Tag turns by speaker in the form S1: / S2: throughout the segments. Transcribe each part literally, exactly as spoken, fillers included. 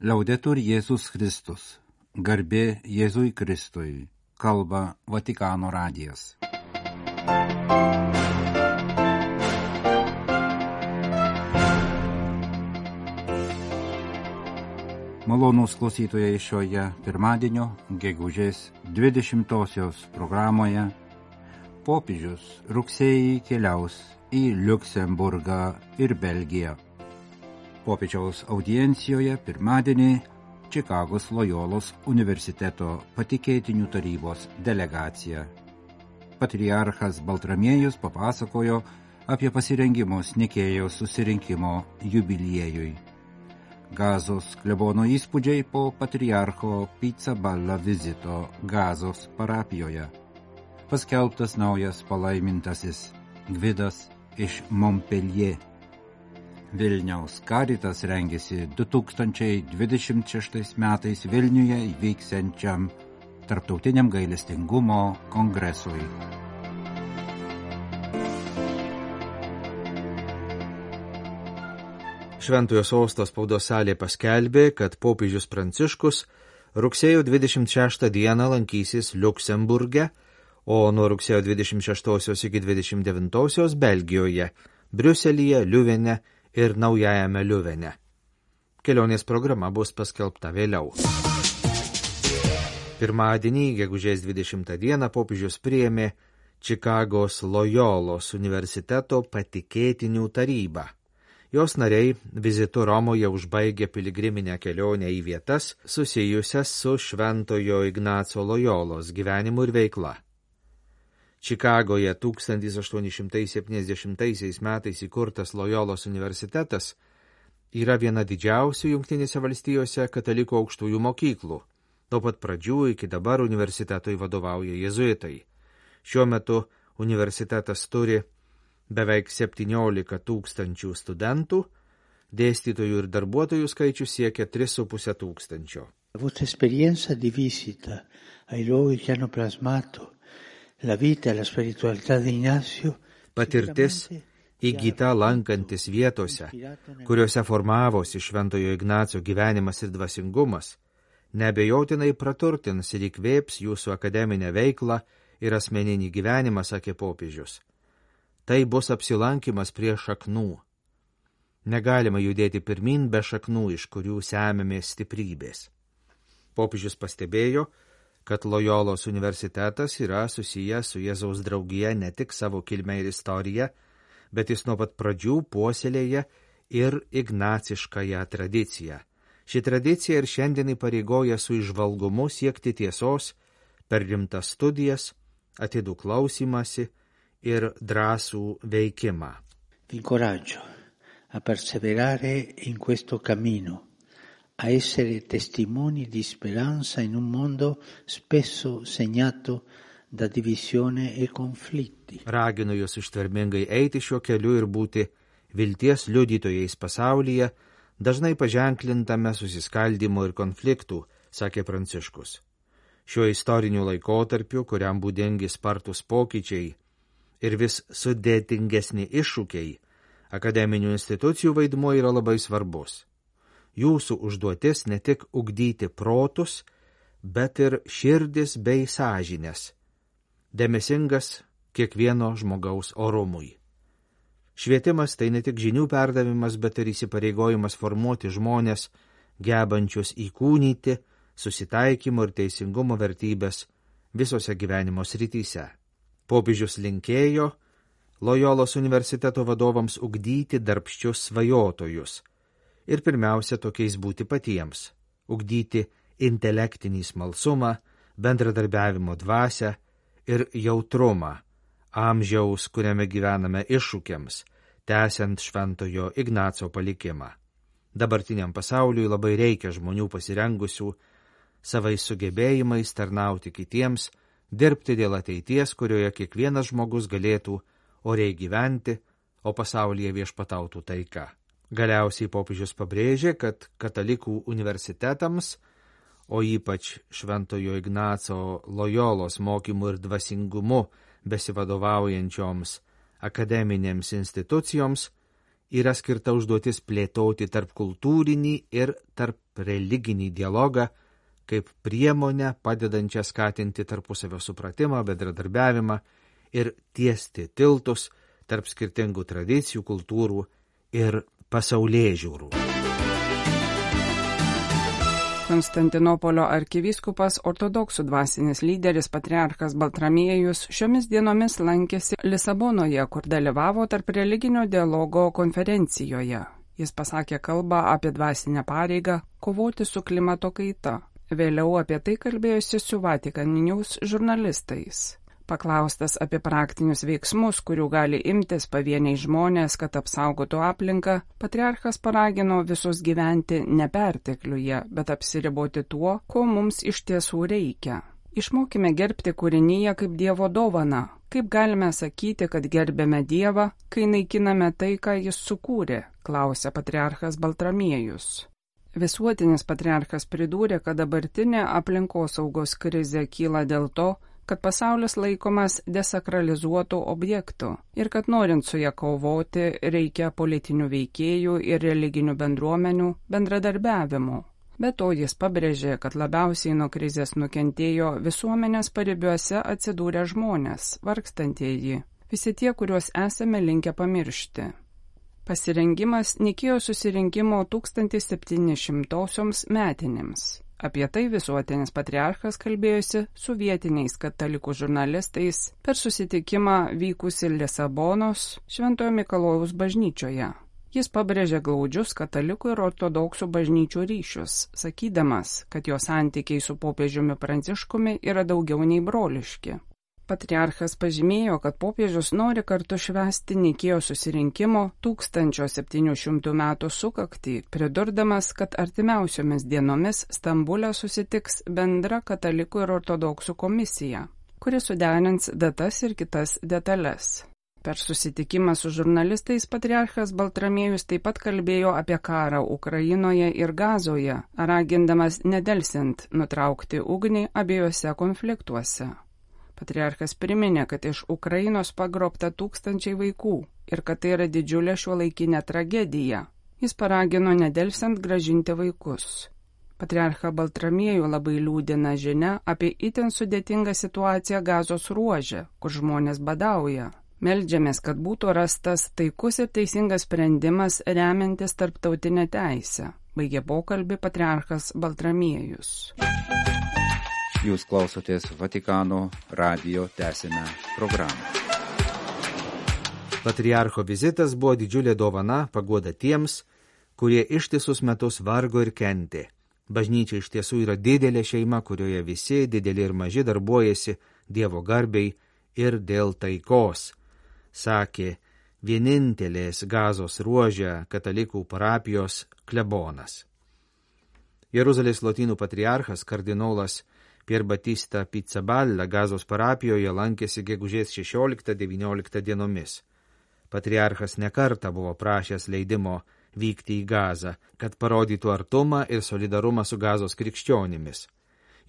S1: Laudetur Jėzus Kristus. Garbė Jėzui Kristui. Kalba Vatikano radijas. Malonūs klausytojai šioje pirmadienio gegužės dvidešimtosios programoje popiežius rugsėjį keliaus į Liuksemburgą ir Belgiją. Popiežiaus audiencijoje pirmadienį Čikagos Lojolos universiteto patikėtinių tarybos delegacija. Patriarchas Baltramiejus papasakojo apie pasirengimus Nikėjos susirinkimo jubiliejui. Gazos klebono įspūdžiai po patriarcho Pizzaballa vizito Gazos parapijoje. Paskelbtas naujas palaimintasis Gvidas iš Montpellier. Vilniaus Karitas rengiasi du tūkstančiai dvidešimt šeštais metais Vilniuje įvyksiančiam Tarptautiniam gailestingumo kongresui.
S2: Šventojo sosto spaudos salė paskelbė, kad popiežius Pranciškus rugsėjo dvidešimt šeštą dieną lankysis Liuksemburge, o nuo rugsėjo dvidešimt šeštosios iki dvidešimt devintosios Belgijoje, Briuselyje, Liuvene ir Naujajame Liuvene. Kelionės programa bus paskelbta vėliau. Pirmadienį, gegužės dvidešimtą dieną, popiežius priėmė Čikagos Lojolos universiteto patikėtinių tarybą. Jos nariai vizitu Romoje užbaigė piligriminę kelionę į vietas susijusias su Šventojo Ignaco Lojolos gyvenimu ir veikla. Čikagoje tūkstantis aštuoni šimtai septyniasdešimtaisiais metais įkurtas Lojolos universitetas yra viena didžiausių Jungtinėse valstijose katalikų aukštųjų mokyklų. Nuo pat pradžių iki dabar universitetui vadovauja jėzuitai. Šiuo metu universitetas turi beveik septyniolika tūkstančių studentų, dėstytojų ir darbuotojų skaičius siekia tris su puse tūkstančio.
S3: Vostra esperienza di visita ai luoghi che hanno plasmato la vita e la spiritualità di Ignacio.
S2: Patirtis įgyta lankantis vietose, kuriuose formavosi Šventojo Ignaco gyvenimas ir dvasingumas, neabejotinai praturtins ir įkvėps jūsų akademinę veiklą ir asmeninį gyvenimą, sakė popiežius. Tai bus apsilankimas prie šaknų. Negalima judėti pirmin be šaknų, iš kurių semiamės stiprybės. Popiežius pastebėjo, kad Lojolos universitetas yra susijęs su Jėzaus draugija ne tik savo kilme ir istorija, bet jis nuo pat pradžių puoselėja ir ignaciškąją tradiciją. Ši tradicija ir šiandien įpareigoja su įžvalgumu siekti tiesos per rimtas studijas, atidų klausymąsi ir drąsų veikimą.
S3: Vi incoraggio a perseverare in questo cammino, a essere testimoni di speranza in un mondo spesso segnato da divisione e conflitti.
S2: Raginu jūs ištvermingai eiti šiuo keliu ir būti vilties liudytojais pasaulyje, dažnai paženklintame susiskaldimo ir konfliktų, sakė Pranciškus. Šiuo istoriniu laikotarpiu, kuriam būdingi spartus pokyčiai ir vis sudėtingesni iššūkiai, akademinių institucijų vaidmuo yra labai svarbus. Jūsų užduotis ne tik ugdyti protus, bet ir širdis bei sąžinės, dėmesingas kiekvieno žmogaus orumui. Švietimas tai ne tik žinių perdavimas, bet ir įsipareigojimas formuoti žmonės, gebančius įkūnyti susitaikymo ir teisingumo vertybės visose gyvenimo srityse. Popiežius linkėjo Lojolos universiteto vadovams ugdyti darbščius svajotojus ir pirmiausia tokiais būti patiems, ugdyti intelektinį smalsumą, bendradarbiavimo dvasią ir jautrumą amžiaus, kuriame gyvename iššūkiams, tęsiant Šventojo Ignaco palikimą. Dabartiniam pasauliui labai reikia žmonių pasirengusių savais sugebėjimais tarnauti kitiems, dirbti dėl ateities, kurioje kiekvienas žmogus galėtų oriai gyventi, o pasaulyje viešpatautų taika. Galiausiai popiežius pabrėžė, kad katalikų universitetams, o ypač Šventojo Ignaco Lojolos mokymu ir dvasingumu besivadovaujančioms akademinėms institucijoms yra skirta užduotis plėtoti tarp kultūrinį ir tarp religinį dialogą kaip priemonę padedančią skatinti tarpusavio supratimą, bendradarbiavimą ir tiesti tiltus tarp skirtingų tradicijų, kultūrų ir pasaulėžiūrų.
S4: Konstantinopolio arkivyskupas, ortodoksų dvasinis lyderis patriarchas Baltramiejus šiomis dienomis lankėsi Lisabonoje, kur dalyvavo tarp religinio dialogo konferencijoje. Jis pasakė kalbą apie dvasinę pareigą kovoti su klimato kaita. Vėliau apie tai kalbėjosi su Vatican News žurnalistais. Paklaustas apie praktinius veiksmus, kurių gali imtis pavieniai žmonės, kad apsaugotų aplinką, patriarchas paragino visus gyventi ne pertekliuje, bet apsiriboti tuo, ko mums iš tiesų reikia. Išmokime gerbti kūrinyje kaip Dievo dovaną. Kaip galime sakyti, kad gerbėme Dievą, kai naikiname tai, ką Jis sukūrė, klausė patriarchas Baltramiejus. Visuotinis patriarchas pridūrė, kad dabartinė aplinkosaugos krizė kyla dėl to, kad pasaulis laikomas desakralizuotų objektų ir kad norint su ją kovoti reikia politinių veikėjų ir religinių bendruomenių bendradarbiavimo. Be to jis pabrėžė, kad labiausiai nuo krizės nukentėjo visuomenės paribiuose atsidūrę žmonės, vargstantieji, visi tie, kuriuos esame linkę pamiršti. Pasirengimas Nikėjos susirinkimo tūkstantis septyni šimtosioms metinėms. Apie tai visuotinis patriarchas kalbėjosi su vietiniais katalikų žurnalistais per susitikimą vykusį Lisabonos Šventojo Mikalojaus bažnyčioje. Jis pabrėžė glaudžius katalikų ir ortodoksų bažnyčių ryšius, sakydamas, kad jo santykiai su popiežiumi Pranciškumi yra daugiau nei broliški. Patriarchas pažymėjo, kad popiežius nori kartu švęsti Nikėjos susirinkimo tūkstančio septynių šimtų metų sukaktį, pridurdamas, kad artimiausiomis dienomis Stambule susitiks bendra katalikų ir ortodoksų komisija, kuri suderins datas ir kitas detalės. Per susitikimą su žurnalistais patriarchas Baltramiejus taip pat kalbėjo apie karą Ukrainoje ir Gazoje, ragindamas nedelsiant nutraukti ugnį abiejose konfliktuose. Patriarchas priminė, kad iš Ukrainos pagrobta tūkstančiai vaikų ir kad tai yra didžiulė šiuolaikinė tragedija. Jis paragino nedelsiant grąžinti vaikus. Patriarchą Baltramiejų labai liūdina žinia apie itin sudėtingą situaciją Gazos ruože, kur žmonės badauja. Meldžiamės, kad būtų rastas taikus ir teisingas sprendimas remiantis tarptautinę teisę. Baigė pokalbį patriarchas Baltramiejus.
S1: Jūs klausotės Vatikano radijo tęsinę programą.
S2: Patriarcho vizitas buvo didžiulė dovana, paguoda tiems, kurie ištisus metus vargo ir kentė. Bažnyčia iš tiesų yra didelė šeima, kurioje visi, dideli ir maži, darbuojasi Dievo garbei ir dėl taikos, sakė vienintelės Gazos ruože katalikų parapijos klebonas. Jeruzalės lotynų patriarchas kardinolas Pier Batista Pizzaballa Gazos parapijoje lankėsi gegužės šešioliktą devynioliktą dienomis. Patriarchas nekartą buvo prašęs leidimo vykti į Gazą, kad parodytų artumą ir solidarumą su Gazos krikščionimis.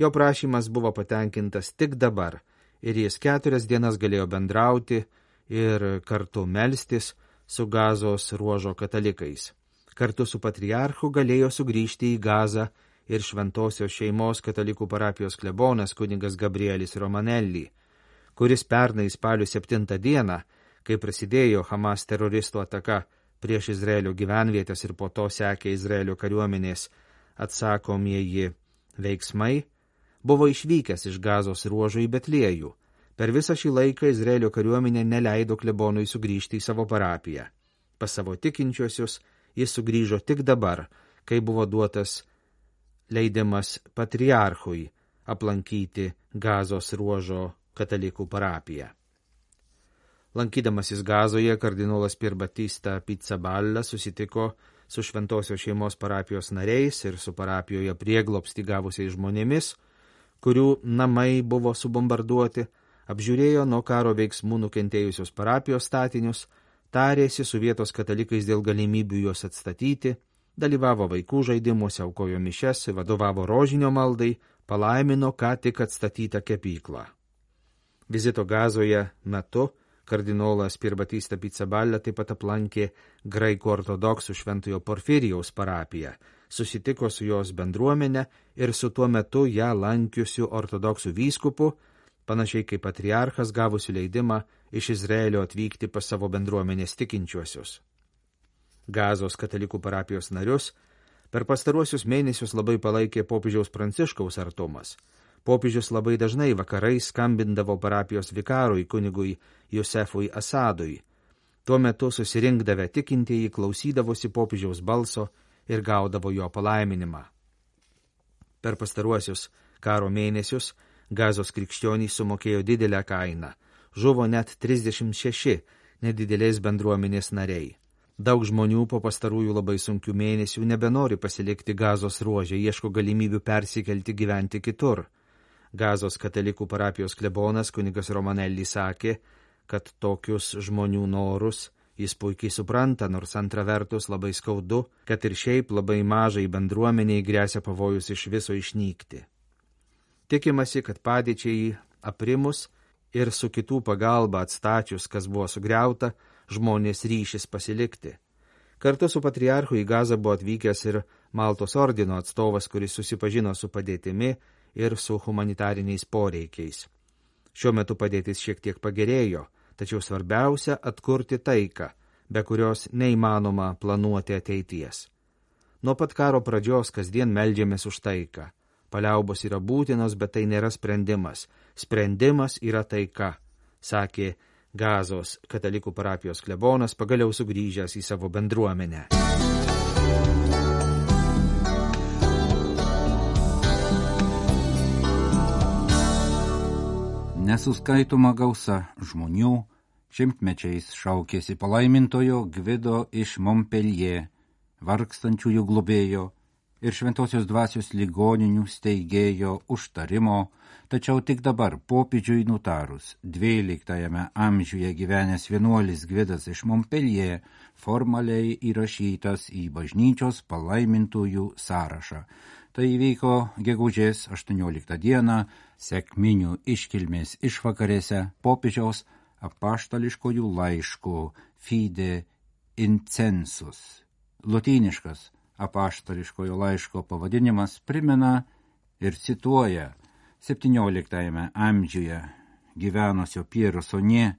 S2: Jo prašymas buvo patenkintas tik dabar ir jis keturias dienas galėjo bendrauti ir kartu melstis su Gazos ruožo katalikais. Kartu su patriarchu galėjo sugrįžti į Gazą ir šventosios šeimos katalikų parapijos klebonas kunigas Gabrielis Romanelli, kuris pernai spalio septintą dieną, kai prasidėjo Hamas teroristų ataka prieš Izraelio gyvenvietės ir po to sekė Izraelio kariuomenės atsakomieji veiksmai, buvo išvykęs iš Gazos ruožo į Betliejų. Per visą šį laiką Izraelio kariuomenė neleido klebonui sugrįžti į savo parapiją. Pas savo tikinčiuosius jis sugrįžo tik dabar, kai buvo duotas leidimas patriarchui aplankyti Gazos ruožo katalikų parapiją. Lankydamasis Gazoje, kardinolas Pier Batista Pizzaballa susitiko su šventosios šeimos parapijos nariais ir su parapijoje prieglobstį gavusiais žmonėmis, kurių namai buvo subombarduoti, apžiūrėjo nuo karo veiksmų nukentėjusios parapijos statinius, tarėsi su vietos katalikais dėl galimybių juos atstatyti, dalyvavo vaikų žaidimuose, aukojo mišias, vadovavo rožinio maldai, palaimino ką tik atstatytą kepyklą. Vizito Gazoje metu kardinolas Pier Batista Pizzaballa taip pat aplankė graikų ortodoksų šventojo Porfirijaus parapiją, susitiko su jos bendruomenė ir su tuo metu ją lankiusiu ortodoksų vyskupu, panašiai kaip patriarchas gavusiu leidimą iš Izraelio atvykti pas savo bendruomenės tikinčiuosius. Gazos katalikų parapijos narius per pastaruosius mėnesius labai palaikė popiežiaus Pranciškaus artumas. Popiežius labai dažnai vakarais skambindavo parapijos vikarui kunigui Josefui Asadui. Tuo metu susirinkdavę tikintieji klausydavosi popiežiaus balso ir gaudavo jo palaiminimą. Per pastaruosius karo mėnesius Gazos krikščionys sumokėjo didelę kainą. Žuvo net trisdešimt šeši nedidelės bendruomenės nariai. Daug žmonių po pastarųjų labai sunkių mėnesių nebenori pasilikti Gazos ruože, ieško galimybių persikelti gyventi kitur. Gazos katalikų parapijos klebonas kunigas Romanelli sakė, kad tokius žmonių norus jis puikiai supranta, nors antra vertus labai skaudu, kad ir šiaip labai mažai bendruomeniai gresia pavojus iš viso išnykti. Tikimasi, kad padėčiai aprimus ir su kitų pagalba atstačius, kas buvo sugriauta, žmonės ryšis pasilikti. Kartu su patriarchu į Gazą buvo atvykęs ir Maltos ordino atstovas, kuris susipažino su padėtimi ir su humanitariniais poreikiais. Šiuo metu padėtis šiek tiek pagerėjo, tačiau svarbiausia atkurti taiką, be kurios neįmanoma planuoti ateities. Nuo pat karo pradžios kasdien meldžiamės už taiką. Paliaubos yra būtinos, bet tai nėra sprendimas. Sprendimas yra taika, sakė Gazos katalikų parapijos klebonas, pagaliau sugrįžęs į savo bendruomenę.
S1: Nesuskaitoma gausa žmonių šimtmečiais šaukėsi palaimintojo Gvido iš Montpellier, vargstančiųjų globėjo ir šventosios dvasios ligoninių steigėjo užtarimo, tačiau tik dabar popiežiui nutarus dvyliktajame amžiuje gyvenęs vienuolis Gvidas iš Montpellier formaliai įrašytas į bažnyčios palaimintųjų sąrašą. Tai įvyko gegužės aštuonioliktą dieną sekminių iškilmės išvakarėse popiežiaus apaštališkojų laiškų Fide Incensus. Lotyniškas apaštališkojo laiško pavadinimas primena ir cituoja septynioliktajame amžiuje gyvenusio Piero Sonė,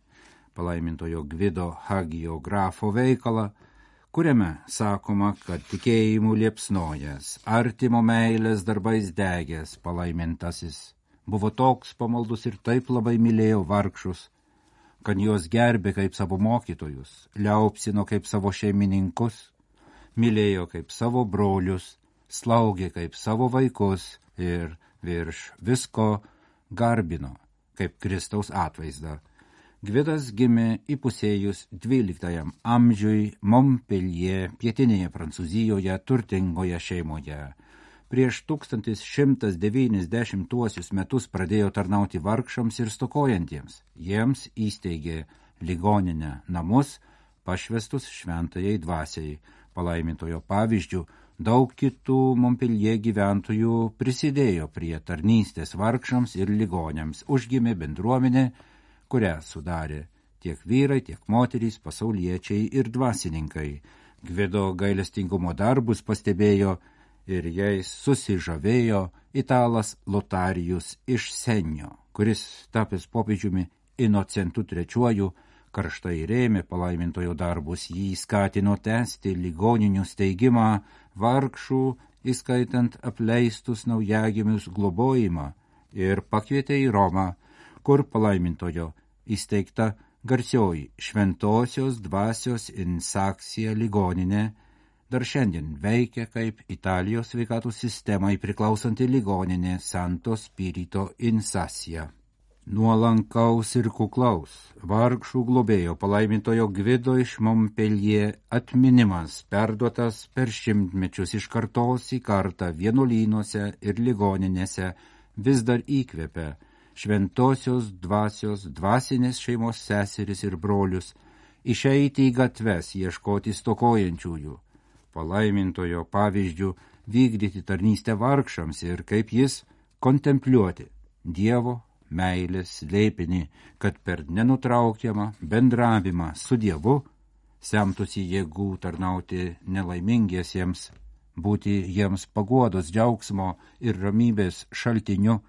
S1: palaimintojo Gvido hagiografo veikalą, kuriame sakoma, kad tikėjimu liepsnojas, artimo meilės darbais degęs palaimintasis buvo toks pamaldus ir taip labai mylėjo vargšus, kad juos gerbė kaip savo mokytojus, liaupsino kaip savo šeimininkus, mylėjo kaip savo brolius, slaugė kaip savo vaikus ir virš visko garbino kaip Kristaus atvaizdą. Gvidas gimė įpusėjus dvyliktajam amžiui Montpellier, pietinėje Prancūzijoje, turtingoje šeimoje. Prieš tūkstantis šimtas devyniasdešimtuosius metus pradėjo tarnauti vargšams ir stokojantiems. Jiems įsteigė ligoninę namus, pašvestus šventajai dvasiai. Palaimintojo pavyzdžių, daug kitų Montpellier gyventojų prisidėjo prie tarnystės vargšams ir ligoniams. Užgimė bendruomenė, kurią sudarė tiek vyrai, tiek moterys, pasauliečiai ir dvasininkai. Gvido gailestingumo darbus pastebėjo ir jais susižavėjo italas Lotarijus iš Senio, kuris tapęs popiežiumi Inocentu trečiuoju karštai rėmė palaimintojo darbus, jį skatino tęsti ligoninių steigimą, vargšų, įskaitant apleistus naujagimius globojimą, ir pakvietė į Romą, kur palaimintojo įsteigta garsioji šventosios dvasios Insaksija ligoninė, dar šiandien veikia kaip Italijos sveikatos sistemai priklausanti ligoninė Santo Spirito Insasija. Nuolankaus ir kuklaus, vargšų globėjo palaimintojo Gvido iš Montpellier atminimas perduotas per šimtmečius iš kartos į kartą vienuolynuose ir ligoninėse vis dar įkvepia šventosios dvasios dvasinės šeimos seseris ir brolius išeiti į gatves ieškoti stokojančiųjų, palaimintojo pavyzdžių vykdyti tarnystę vargšams ir kaip jis kontempliuoti Dievo meilės slėpinį, kad per nenutraukiamą bendravimą su Dievu semtųsi jėgų tarnauti nelaimingiesiems būti jiems paguodos, džiaugsmo ir ramybės šaltiniu,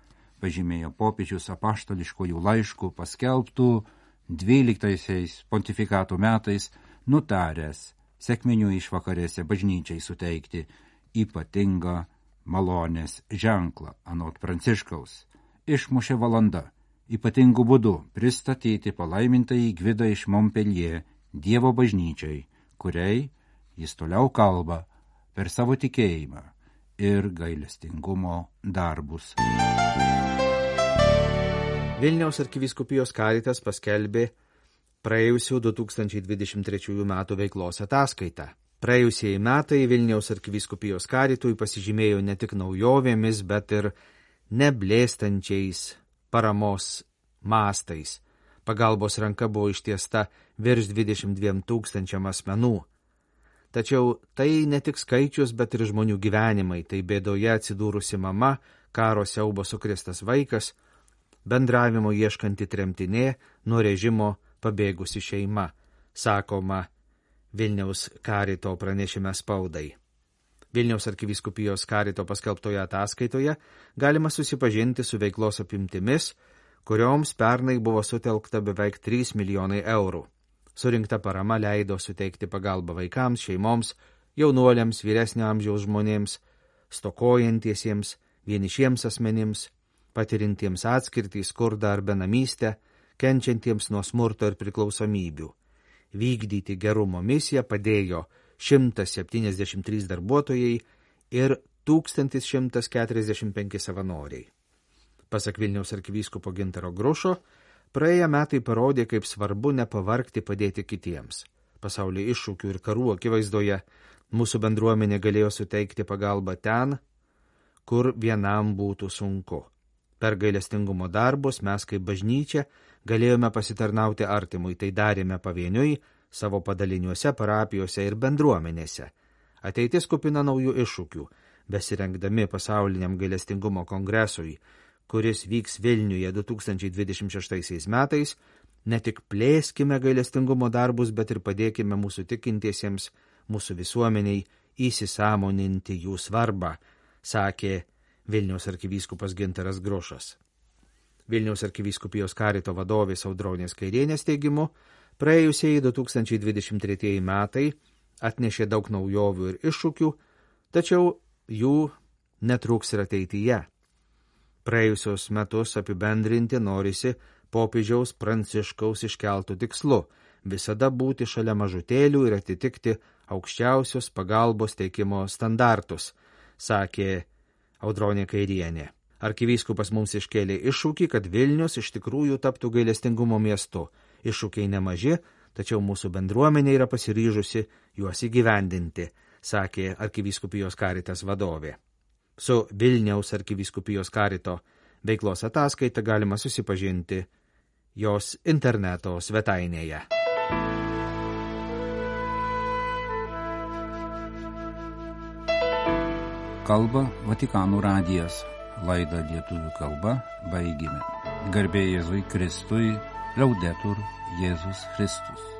S1: pažymėjo popiežius apaštališkojų laiškų paskelbtų dvyliktaisiais pontifikato metais, nutaręs sekminių išvakarėse bažnyčiai suteikti ypatingą malonės ženklą, anot Pranciškaus. Išmušė valanda ypatingų būdų pristatyti palaimintąjį Gvidą iš Montpellier Dievo bažnyčiai, kuriai jis toliau kalba per savo tikėjimą ir gailestingumo darbus.
S2: Vilniaus arkivyskupijos Karitas paskelbė praėjusių du tūkstančiai dvidešimt trečiųjų metų veiklos ataskaitą. Praėjusieji metai Vilniaus arkivyskupijos Karitui pasižymėjo ne tik naujovėmis, bet ir neblėstančiais paramos mastais. Pagalbos ranka buvo ištiesta virš dvidešimt dviem tūkstančiam asmenų. Tačiau tai ne tik skaičius, bet ir žmonių gyvenimai, tai bėdoje atsidūrusi mama, karo siaubo sukristas vaikas, bendravimo ieškanti tremtinė, nuo režimo pabėgusi šeima, sakoma Vilniaus Karito pranešime spaudai. Vilniaus arkivyskupijos Karito paskelbtoje ataskaitoje galima susipažinti su veiklos apimtimis, kurioms pernai buvo sutelkta beveik trys milijonai eurų. Surinkta parama leido suteikti pagalbą vaikams, šeimoms, jaunuoliams, vyresnio amžiaus žmonėms, stokojantiesiems, vienišiems asmenims, patirintiems atskirtį, skurdą ar benamystę, kenčiantiems nuo smurto ir priklausomybių. Vykdyti gerumo misiją padėjo šimtas septyniasdešimt trys darbuotojai ir tūkstantis šimtas keturiasdešimt penki savanoriai. Pasak Vilniaus arkivyskupo Gintaro Grušo, praėję metai parodė, kaip svarbu nepavargti padėti kitiems. Pasaulio iššūkių ir karų akivaizdoje mūsų bendruomenė galėjo suteikti pagalbą ten, kur vienam būtų sunku. Per gailestingumo darbus mes kaip bažnyčia galėjome pasitarnauti artimui, tai darėme pavieniui, savo padaliniuose, parapijose ir bendruomenėse. Ateitis kupina naujų iššūkių, besirengdami pasauliniam gailestingumo kongresui, kuris vyks Vilniuje du tūkstančiai dvidešimt šeštaisiais metais, ne tik plėskime gailestingumo darbus, bet ir padėkime mūsų tikintiesiems, mūsų visuomeniai įsisąmoninti jų svarbą, sakė Vilniaus arkivyskupas Gintaras Grušas. Vilniaus arkivyskupijos Karito vadovės Audronės Kairienės teigimu, praėjusieji du tūkstančiai dvidešimt tretieji metai atnešė daug naujovių ir iššūkių, tačiau jų netrūks ir ateityje. Praėjusios metus apibendrinti norisi popiežiaus Pranciškaus iškeltų tikslu – visada būti šalia mažutėlių ir atitikti aukščiausios pagalbos teikimo standartus, sakė Audronė Kairienė. Arkivyskupas mums iškėlė iššūkį, kad Vilnius iš tikrųjų taptų gailestingumo miestu. Iššūkiai nemaži, tačiau mūsų bendruomenė yra pasiryžusi juos įgyvendinti, sakė arkivyskupijos Karitas vadovė. Su Vilniaus arkivyskupijos Karito veiklos ataskaita galima susipažinti jos interneto svetainėje.
S1: Kalba Vatikano radijas. Laidą lietuvių kalba baigėme. Garbė Jėzui Kristui, Laudetur Jėzus Kristus.